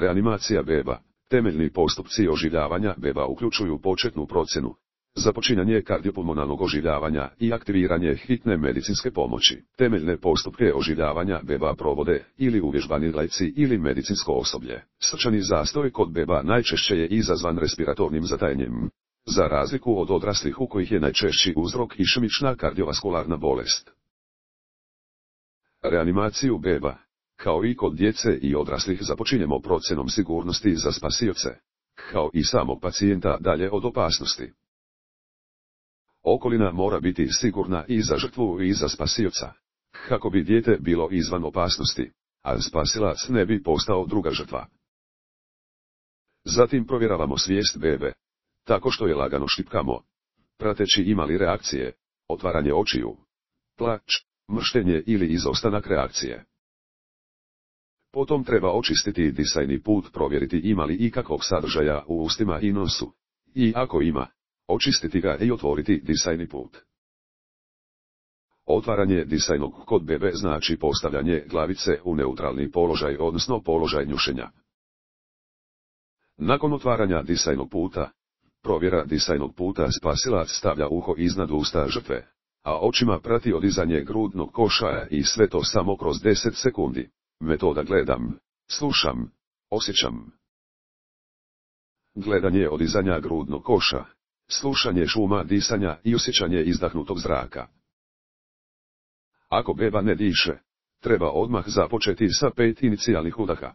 Reanimacija beba. Temeljni postupci oživljavanja beba uključuju početnu procjenu, započinjanje kardiopulmonalnog oživljavanja i aktiviranje hitne medicinske pomoći. Temeljne postupke oživljavanja beba provode ili uvježbani laici ili medicinsko osoblje. Srčani zastoj kod beba najčešće je izazvan respiratornim zatajenjem, za razliku od odraslih u kojih je najčešći uzrok išemična kardiovaskularna bolest. Reanimaciju beba, kao i kod djece i odraslih, započinjemo procjenom sigurnosti za spasioce, kao i samog pacijenta dalje od opasnosti. Okolina mora biti sigurna i za žrtvu i za spasioca, kako bi dijete bilo izvan opasnosti, a spasilac ne bi postao druga žrtva. Zatim provjeravamo svijest bebe, tako što je lagano štipkamo, prateći ima li reakcije, otvaranje očiju, plač, mrštenje ili izostanak reakcije. Potom treba očistiti disajni put, provjeriti ima li ikakvog sadržaja u ustima i nosu, i ako ima, očistiti ga i otvoriti disajni put. Otvaranje disajnog kod bebe znači postavljanje glavice u neutralni položaj, odnosno položaj njušenja. Nakon otvaranja disajnog puta, provjera disajnog puta, spasilac stavlja uho iznad usta žrtve, a očima prati odizanje grudnog koša i sve to samo kroz 10 sekundi. Metoda gledam, slušam, osjećam. Gledanje odizanja grudnog koša, slušanje šuma disanja i osjećanje izdahnutog zraka. Ako beba ne diše, treba odmah započeti sa 5 inicijalnih udaha.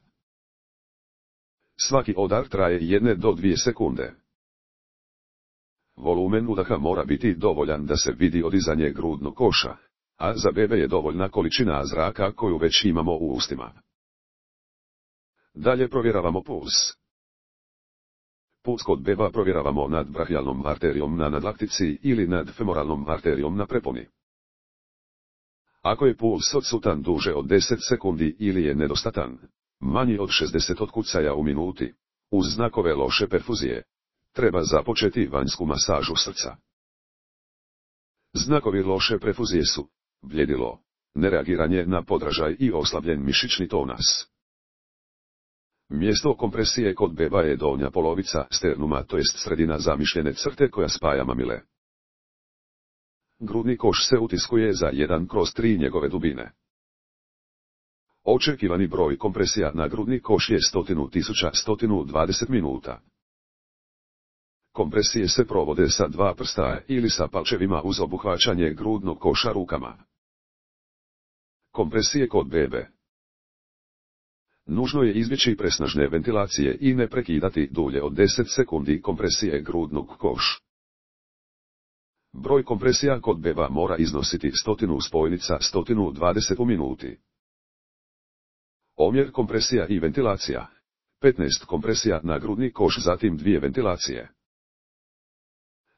Svaki udar traje 1 do 2 sekunde. Volumen udaha mora biti dovoljan da se vidi odizanje grudnog koša, a za bebe je dovoljna količina zraka koju već imamo u ustima. Dalje provjeravamo puls. Puls kod beba provjeravamo nad brahijalnom arterijom na nadlaktici ili nad femoralnom arterijom na preponi. Ako je puls odsutan duže od 10 sekundi ili je nedostatan, manji od 60 otkucaja u minuti, uz znakove loše perfuzije, treba započeti vanjsku masažu srca. Znakovi loše perfuzije su bljedilo, nereagiranje na podražaj i oslabljen mišićni tonas. Mjesto kompresije kod beba je donja polovica sternuma, to jest sredina zamišljene crte koja spaja mamile. Grudni koš se utiskuje za 1/3 njegove dubine. Očekivani broj kompresija na grudni koš je 100.120 minuta. Kompresije se provode sa 2 prsta ili sa palčevima uz obuhvaćanje grudnog koša rukama. Kompresije kod bebe. Nužno je izbjeći presnažne ventilacije i ne prekidati dulje od 10 sekundi kompresije grudnog koš. Broj kompresija kod beba mora iznositi 100 spojnica 120 u minuti. Omjer kompresija i ventilacija. 15 kompresija na grudni koš, zatim 2 ventilacije.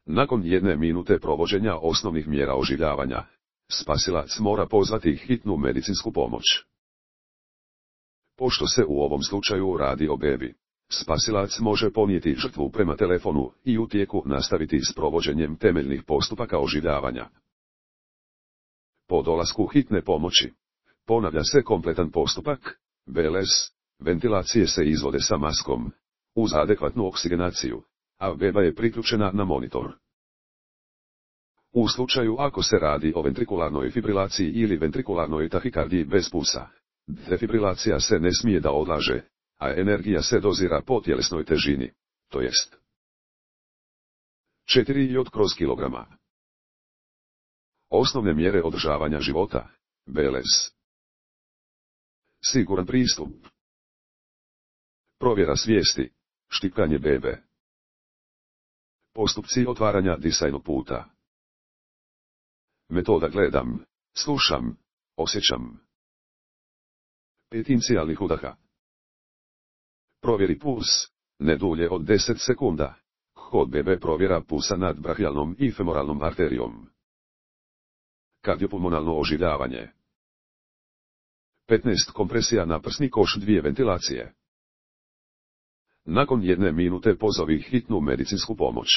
Nakon 1 minute provođenja osnovnih mjera oživljavanja, spasilac mora pozvati hitnu medicinsku pomoć. Pošto se u ovom slučaju radi o bebi, spasilac može ponijeti žrtvu prema telefonu i u tijeku nastaviti s provođenjem temeljnih postupaka oživljavanja. Po dolasku hitne pomoći, ponavlja se kompletan postupak, BLS, ventilacije se izvode sa maskom, uz adekvatnu oksigenaciju, a beba je priključena na monitor. U slučaju ako se radi o ventrikularnoj fibrilaciji ili ventrikularnoj tahikardiji bez pulsa, defibrilacija se ne smije da odlaže, a energija se dozira po tjelesnoj težini, to jest 4 J/kg. Osnovne mjere održavanja života, BLS. Siguran pristup. Provjera svijesti, štipkanje bebe. Postupci otvaranja disajnog puta. Metoda gledam, slušam, osjećam. 5 inicijalnih udaha. Provjeri puls, ne dulje od 10 sekunda. Kod bebe provjera pulsa nad brahijalnom i femoralnom arterijom. Kardiopulmonalno oživljavanje. 15 kompresija na prsni koš, 2 ventilacije. Nakon 1 minute pozovi hitnu medicinsku pomoć.